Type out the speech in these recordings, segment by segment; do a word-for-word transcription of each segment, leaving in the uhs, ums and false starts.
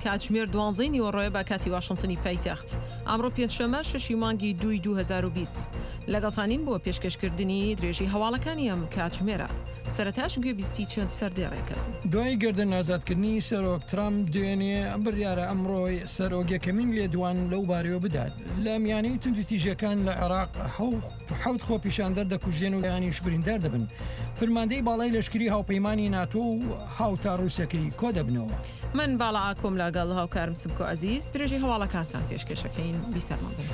کاتژمێر دوانزەی نیوەڕۆیە بە کاتی واشنتنی پایتەخت. ئەمڕۆ پێنجشەممە شەشی مانگی دووی دوو هەزار و بیست. لەگەڵتانین بۆ پێشکەشکردنی درێژی هەواڵەکانی ئەم کاتژمێرە. سەرەتاش گوێبیستی چەند سەردێڕێکن. دوای گردن ئازادکردنی سەرۆک ترامپ دوێنێ بڕیارە ئەمڕۆی سەرۆک یەکەمین لێدوان لەو بارەیەوە بدات. لە میانەی توندوتیژەکان لە عێراق حەوت خۆپیشاندەر دەکوژێن و یانیش بریندار دەبن. فرماندەی باڵای لەشکری هاوپەیمانی ناتۆ و هاوتا ڕووسەکەی کۆ دەبنەوە. من باڵا ئاکۆم لەگەڵ هاوکارم سمکۆ عەزیز درێژەی هەواڵەکانتان پێشکێشەکەین. بیسەرمان بن.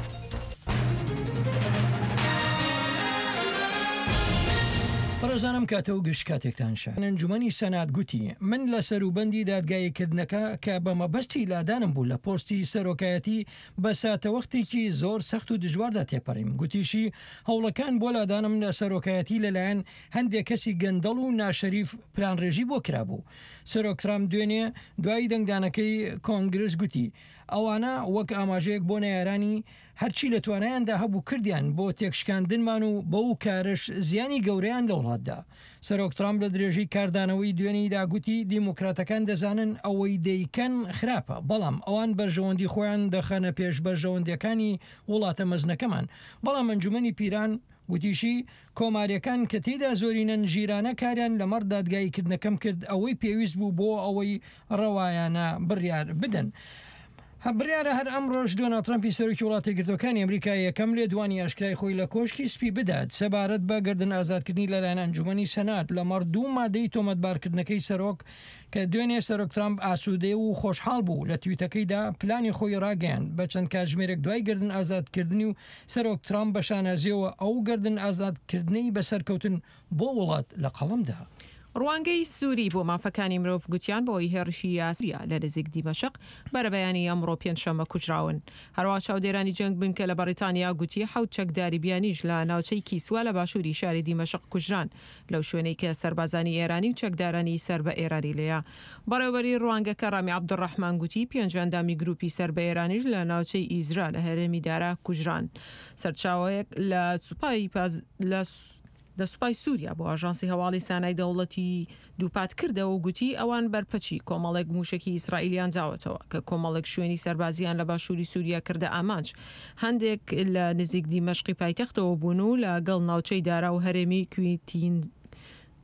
بەڕێزانم کاتە و گشت کاتێکتان شە. ئەنجومەنی سەنات گوتی من لە سەروبەندی دادگاییکردنەکە کە بە مەبەستی لادانم بوو لە پۆستی سەرۆکایەتی بە ساتەوەختێکی زۆر سەخت و دژواردا تێپەڕیم. گوتیشی هەوڵەکان بۆ لادانم لە سەرۆکایەتی لەلایەن هەندێک کەسی گەندەڵ و ناشەریف پلانڕێژی بۆ کرابوو. سەرۆک ترامپ دوێنێ دوای دەنگدانەکەی کۆنگرس گوتی ئەوانە وەک ئاماژەیەک بۆ نەیارانی هەرچی لە توانایاندا هەبوو کردیان بۆ تێکشکاندنمان و بەو کارش زیانی گەورەیان لە وڵاتدا. سەرۆک ترامپ لە درێژەی کاردانەوەی دوێنیدا گوتی دیموکراتەکان دەزانن ئەوەی دەیکەن خراپە، بەڵام ئەوان بەرژەوەندی خۆیان دەخەنە پێش بەرژەوەندیەکانی وڵاتە مەزنەکەمان. بەڵام ئەنجومەنی پیران گوتیشی کۆماریەکان کە تێدا زۆرینەن ژیرانە کاریان لەمەڕ دادگاییکردنەکەم کرد ئەوەی پێویست بوو بۆ ئەوەی ڕەوایانە بڕیار بدەن. بڕیارە هەر ئەمڕۆژ دۆناڵد ترەمپی سەرۆکی وڵاتە یەکگرتووەکانی ئەمریکا یەکەم لێدوانی ئاشکرای خۆی لە کۆشکی سپی بدات سەبارەت بە گردن ئازادکردنی لەلایەن ئەنجومەنی سەنات لەمەڕ دوو مادەی تۆمەتبارکردنەکەی سەرۆک کە دوێنێ سەرۆک ترامپ ئاسوودەی و خۆشحاڵ بوو لە تویتەکەیدا پلانی خۆی ڕاگەیاند بە چەند کاتژمێرێک دوای گردن ئازادکردنی و سەرۆک ترامپ بە شانازیەوە ئەو گردن ئازادکردنەی بەسەرکەوتن بۆ وڵات لە قەڵەمدا. ڕوانگەی سووری بۆ مافەکانی مرۆڤ گوتیان بەهۆی هێرشی یاسریا لە نزیک دیمەشق بەرەبەیانی ئەمڕۆ پێنجشەممە کوژراون. هەروەها چاودێرانی جەنگ بنکە لە بەریتانیا گوتی حەوت چەکداری بیانیش لە ناوچەی کیسوا لە باشووری شاری دیمەشق کوژران لەو شوێنەی کە سەربازانی ئێرانی و چەکدارانی سەر بە ئێرانی لێیە. بەڕێوەبەری ڕوانگەکە ڕامی عەبدولڕەحمان گوتی پێنج ئەندامی گروپی سەر بە ئێرانیش لە ناوچەی ئیزرا لە هەرێمی دارا کوژران. سەرچاوەیەک لە سوپای لە لە سوپای سووریا بۆ ئاژانسی هەواڵی سانای دەوڵەتی دووپات کردەوە و گوتی ئەوان بەرپەچی کۆمەڵێک موشکی ئیسرائیلیان داوەتەوە کە کۆمەڵێک شوێنی سەربازیان لە باشووری سووریا کردە ئامانج. هەندێک لە نزیک دیمەشقی پایتەختەوە بوون و لەگەڵ ناوچەی دارا و هەرێمی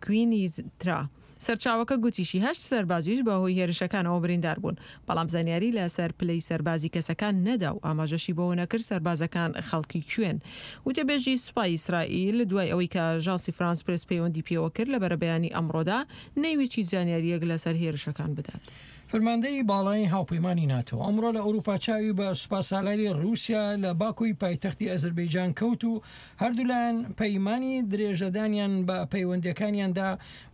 کوینیترا. سەرچاوەکە گوتیشی هەشت سەربازیش بەهۆی هێرشەکانەوە بریندار بوون، بەڵام زانیاری لەسەر پلەی سەربازی کەسەکان نەدا و ئاماژەشی بەوە نەکرد سەربازەکان خەڵکی کوێن. وتەبێژی سوپای ئیسرائیل دوای ئەوەی کە ئاژانسی فرانس پرێس پەیوەندی پێوە کرد لە بەرەبەیانی ئەمڕۆدا نەیویست هیچ زانیاریەک لەسەر هێرشەکان بدات. فرماندەی باڵای هاوپەیمانی ناتۆ ئەمڕۆ لە ئەوروپا چاوی بە سوپاسالاری رووسیا لە باکووی پایتەختی ئەزربەیجان کەوت و هەردوولایەن پەیمانی درێژەدانیان بە پەیوەندەکانیاندا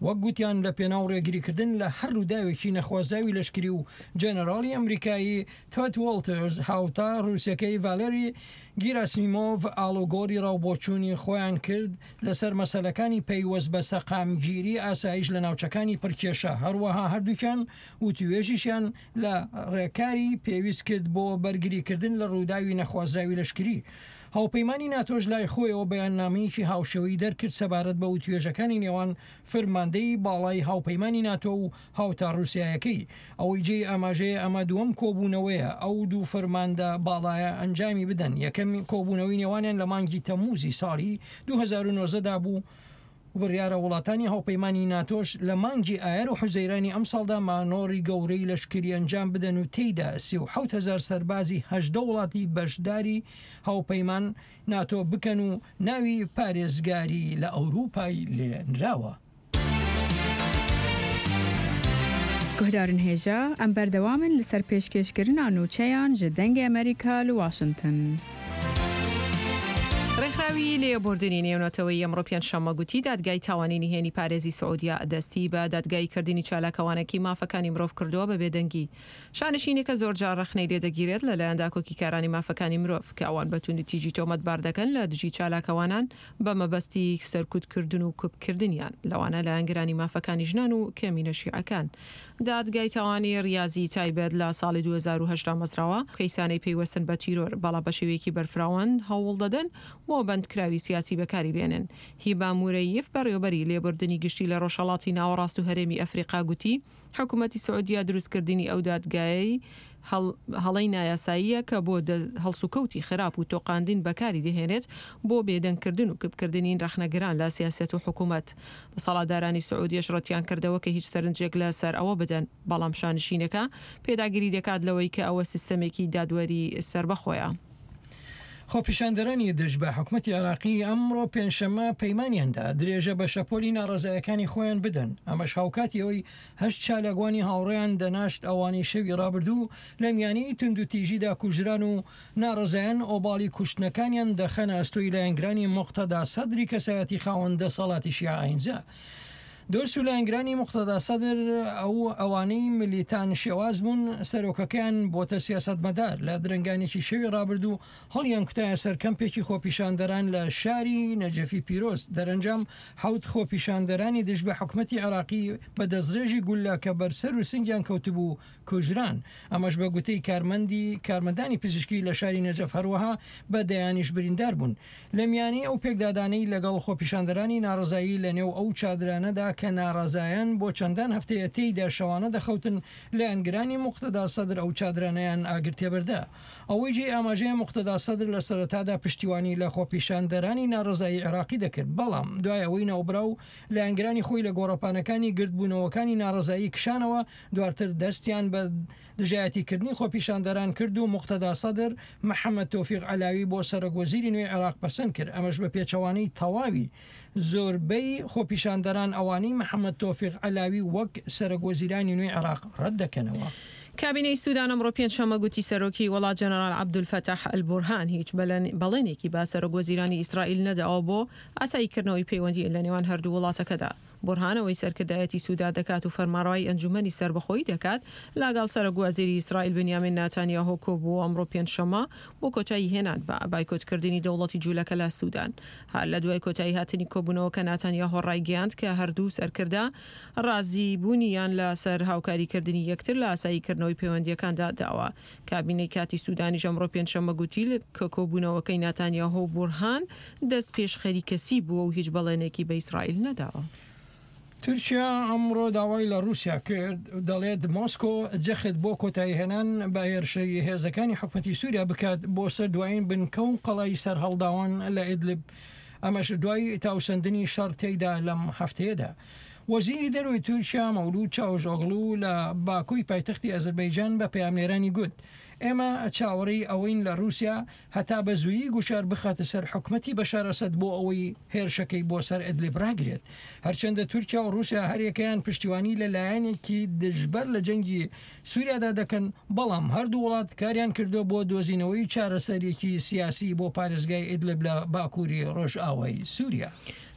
وەک گوتیان لە پێناو ڕێگریکردن لە هەر ڕووداوێکی نەخوازاوی لەشکری و جەنەراڵی ئەمریکایی تۆد وۆڵتەرز هاوتا ڕووسەکەی ڤالێری گیراسیمۆڤ ئاڵۆگۆری ڕاوبۆچوونی خۆیان کرد لەسەر مەسەلەکانی پەیوەست بە سەقامگیری ئاسایش لە ناوچەکانی پرکێشە. هەروەها هەردووکیان وتوێژیشیان لە ڕێکاری پێویست کرد بۆ بەرگریکردن لە ڕووداوی نەخوازراوی لەشکری. هاوپەیمانی ناتۆش لای خۆیەوە بەیاننامەیەکی هاوشێوەی دەرکرد سەبارەت بە وتوێژەکانی نێوان فرماندەی باڵای هاوپەیمانی ناتۆ و هاوتا ڕووسیایەکەی. ئەوەی جێی ئاماژەیە ئەمە دووەم کۆبوونەوەیە ئەو دوو فەرماندە باڵایە ئەنجامی بدەن. یەکەم کۆبوونەوەی نێوانیان لە مانگی تەمموزی ساڵی دوو هەزار و نۆزدە دا بوو. بڕیارە وڵاتانی هاوپەیمانی ناتۆش لە مانگی ئایار و حوزەیرانی ئەمساڵدا مانۆڕی گەورەی لەشکری ئەنجام بدەن و تێیدا سی و حەوت هەزار سەربازی هەژدە وڵاتی بەشداری هاوپەیمان ناتۆ بکەن و ناوی پارێزگاری لە ئەوروپای لێنراوە. گوهدارن هێژا ئەم بەردەوامن لەسەر پێشکێشکردنا نوچەیان ji دەنگی ئەمریکا لە واشنگتن. ڕێکخراوی لێبوردنی نێونەتەوەی ئەمڕۆ پێنجشەممە گوتی دادگای تاوانی نهێنی پارێزی سعودیا دەستی بە دادگاییکردنی چالاکەوانێکی مافەکانی مرۆڤ کردووە بە بێدەنگی. شانشینێکە زۆرجار ڕەخنەی لێدەگیرێت لەلایەن داکۆکیکارانی مافەکانی مرۆڤ کە ئەوان بە توندوتیژی تۆمەتبار دەکەن لە دژی چالاکەوانان بە مەبەستی سەرکوتکردن و کوپکردنیان، لەوانە لایەنگرانی مافەکانی ژنان و کەمینە شیعەکان. دادگای تاوانی ڕیازی تایبەت لە ساڵی دوو هەزار و هەشت دامەزراوە کەیسانەی پەیوەستن بە تیرۆر، بەڵام بە شێوەیەکی بەرفراوان هەوڵ دەدەن بۆ بەندکراوی سیاسی بەکاری بێنن. هیبا مورەیف بەڕێوەبەری لێبوردنی گشتی لە ڕۆژهەڵاتی ناوەڕاست و هەرێمی ئەفریقا گوتی حکوومەتی سعودیا دروستکردنی ئەو دادگایەی هەڵەی نایاساییە کە بۆ هەڵسوکەوتی خراپ و تۆقاندن بەکاری دەهێنێت بۆ بێدەنگکردن و کپکردنی ڕەخنەگران لە سیاسەت و حکوومەت. دەسەڵاتدارانی سعودیەش ڕەتیان کردەوە کە هیچ سەرنجێک لەسەر ئەوە بدەن، بەڵام شانشینەکە پێداگیری دەکات لەوەی کە ئەوە سیستەمێکی دادوەری سەربەخۆیە. خۆپیشاندەرانی دژ بە حکومەتی عێراقی ئەمڕۆ پێنجشەممە پەیمانیاندا درێژە بە شەپۆلی ناڕەزایەکانی خۆیان بدەن، ئەمەش هاوکاتی ئەوەی هەشت چالاکوانی هاوڕێیان دەناشت ئەوانەی شەوی ڕابردوو لە میانی توندوتیژیدا کوژران و ناڕەزایان ئۆباڵی کوشتنەکانیان دەخەنە ئەستۆی لایەنگرانی موقتەدا سەدری کەسایەتی خاوەن دەسەڵاتی شیعە ئاینزا. دۆست و لایەنگرانی موقتەدا سەدر ئەو ئەوانەی ملیتان شێواز بوون سەرۆکەکەیان بۆتە سیاسەتمەدار لە درەنگانێکی شەوی ڕابردوو هەڵیان کوتایە سەر کەمپێکی خۆپیشاندەران لە شاری نەجەفی پیرۆز. دەرەنجام حەوت خۆپیشاندەرانی دژ بە حکومەتی عێراقی بە دەستڕێژی گولە کە بەرسەر و سنگیان کەوتبوو کوژران، ئەمەش بە گوتەی کارمەندی کارمەندانی پزیشکی لە شاری نەجەف. هەروەها بە دەیانیش بریندار بوون. لە میانی ئەو پێکدادانەی لەگەڵ خۆپیشاندەرانی ناڕەزایی لە نێو ئەو چادرانەدا کە ناڕەزایان بۆ چەندان هەفتەیە تێیدا شەوانە دەخەوتن، لایەنگرانی موقتەدا سەدر ئەو چادرانەیان ئاگر تێبەردا. ئەوەی جێی ئاماژەیە موقتەدا سەدر لە سەرەتادا پشتیوانی لە خۆپیشاندەرانی ناڕەزایی عێراقی دەکرد، بەڵام دوای ئەوەی ناوبراو لایەنگرانی خۆی لە گۆڕەپانەکانی گردبوونەوەکانی ناڕەزایی کشانەوە، دواتر دەستیان بە دژایەتیکردنی خۆپیشاندەران کرد و موقتەدا سەدر محەممەد تۆفیق عەلاوی بۆ سەرۆک وەزیری نوێی عێراق پەسەند کرد. ئەمەش بە پێچەوانەی تەواوی زۆربەی خۆپیشاندەران ئەوانەی محەممەد تۆفیق عەلاوی وەک سەرۆک وەزیرانی نوێی عێراق ڕەت دەکەنەوە. کابینەی سودان ئەمڕۆ پێنجشەممە گوتی سەرۆکی وڵات جەنەرال عەبدولفەتاح ئەلبورهان هیچ بەڵێنێکی بە سەرۆک وەزیرانی ئیسرائیل نەداوە بۆ ئاساییکردنەوەی پەیوەندی لە نێوان هەردوو وڵاتەکەدا. بورهان ئەوەی سەرکردایەتی سودا دەکات و فەرمانڕەوای ئەنجومەنی سەربەخۆیی دەکات لەگەڵ سەرۆک وەزیری ئیسرائیل بنیامین ناتانیاهۆ کۆبووە ئەمڕۆ پێنجشەممە بۆ کۆتایی هێنان بە بایکۆتکردنی دەوڵەتی جوولەکە لە سودان. هەر لە دوای کۆتایی هاتنی کۆبوونەوەکە ناتانیاهۆ ڕایگەیاند کە هەردوو سەرکردە ڕازی بوونیان لەسەر هاوکاریکردنی یەکتر لە ئاساییکردنەوەی پەیوەندیەکاندا داوە. کابینەی کاتی سودانیش ئەمڕۆ پێنجشەممە گوتی کە کۆبوونەوەکەی ناتانیاهۆ و بورهان دەست پێشخەری کەسی بووە و هیچ بەڵێنێکی بە ئیسرائیل نەداوە. تورکیا ئەمڕۆ داوای لە رووسیا کرد، دەڵێت مۆسکۆ جەخت بۆ کۆتاییهێنان بە هێرشی هێزەکانی حکومەتی سووریا بکات بۆ سەر دوایین بنکە و قەڵای سەرهەڵداوان لە ئیدلب، ئەمەش دوای تاوسەندنی شەڕ تێیدا لەم هەفتەیەدا. وەزیری دەرەوەی تورکیا مەولود چاوشئۆغڵو لە باکووی پایتەختی ئەزەربایجان بە پەیامنێرانی گوت ئێمە چاوەڕێی ئەوەین لە رووسیا هەتا بە زوویی گوشار بخاتە سەر حکومەتی بەشار ئەسەد بۆ ئەوەی هێرشەکەی بۆ سەر ئیدلیب ڕاگرێت. هەرچەندە تورکیا و رووسیا هەریەکەیان پشتیوانی لە لایەنێکی دژبەر لە جەنگی سووریادا دەکەن، بەڵام هەردوو وڵات کاریان کردو بۆ دۆزینەوەی چارەسەرێکی سیاسی بۆ پارێزگای ئیدلیب لە باکووری ڕۆژئاوای سووریا.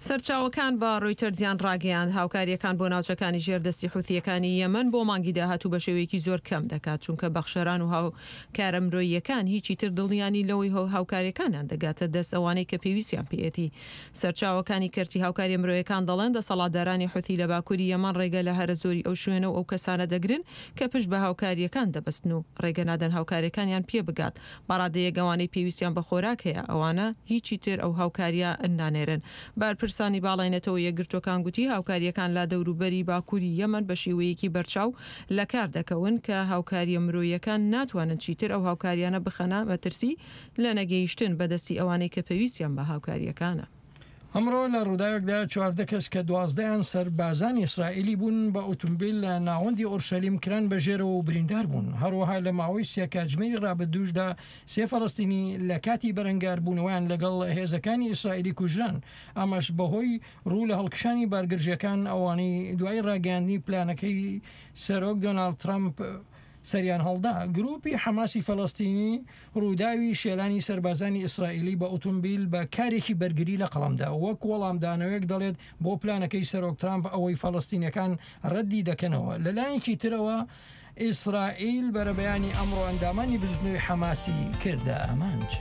سەرچاوەکان بە ڕۆیتەرزیان ڕاگەیاند هاوکاریەکان بۆ ناوچەکانی ژێردەستی حوثیەکانی یەمەن بۆ مانگی داهاتوو بە شێوەیەکی زۆر کەم دەکات، چونکە بەخشەران و هاوکارە مرۆییەکان هیچی تر دڵنیانی لەوەی هاوکاریەکانیان دەگاتە دەست ئەوانەی کە پێویستیان پێیەتی. سەرچاوەکانی کەرتی هاوکاریە مرۆیەکان دەڵێن دەسەڵاتدارانی حوثی لە باکووری یەمەن ڕێگە لە هەرە زۆری ئەو شوێنە و ئەو کەسانە دەگرن کە پشت بە هاوکاریەکان دەبەستن و ڕێگە نادەن هاوکاریەکانیان پێ بگات. بەڕادەیەک ئەوانەی پێویستیان بە خۆراک هەیە ئەوانە هیچی تر ئەو هاوکاریە نانێرن. بەرپرسانی باڵای نەتەوە یەکگرتووەکان گوتی هاوکاریەکان لە دەوروبەری باکووری یەمەن بە شێوەیەکی بەرچاو لە کار دەکەون کە هاوکاریە مرۆیەکان ناتوانن چیتر ئەو هاوکاریانە بخەنە مەترسی لە نەگەیشتن بەدەستی ئەوانەی کە پێویستیان بە هاوکاریەکانە. ئەمڕۆ لە ڕووداوێکدا چواردە کەس کە دوازدەیان سەربازانی ئیسرائیلی بوون بە ئۆتۆمبیل لە ناوەندی ئۆرشەلیم کران بە ژێرەوە و بریندار بوون. هەروەها لە ماوەی سێ کاتژمێری ڕابردووشدا سێ فەلەستینی لە کاتی بەرەنگاربوونەوەیان لەگەڵ هێزەکانی ئیسرائیلی کوژران، ئەمەش بەهۆی ڕوو لە هەڵکشانی بارگرژەکان ئەوانەی دوای ڕاگەیاندنی پلانەکەی سەرۆک دۆناڵد ترەمپ سەریان هەڵدا. گروپی حەماسی فەلەستینی ڕووداوی شێلانی سەربازانی ئیسرائیلی بە ئۆتۆمبیل بە کارێکی بەرگری لە قەڵەمدا وەک وەڵامدانەوەیەک دەڵێت بۆ پلانەکەی سەرۆک ترامپ ئەوەی فەلەستینیەکان ڕەدی دەکەنەوە. لەلایەکی ترەوە ئیسرائیل بەرەبەیانی ئەمڕۆ ئەندامانی بزوتنەوەی حەماسی کردە ئامانج.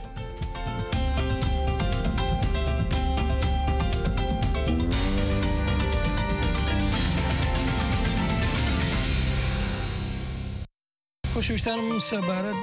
خۆشەویستانم سەبارەت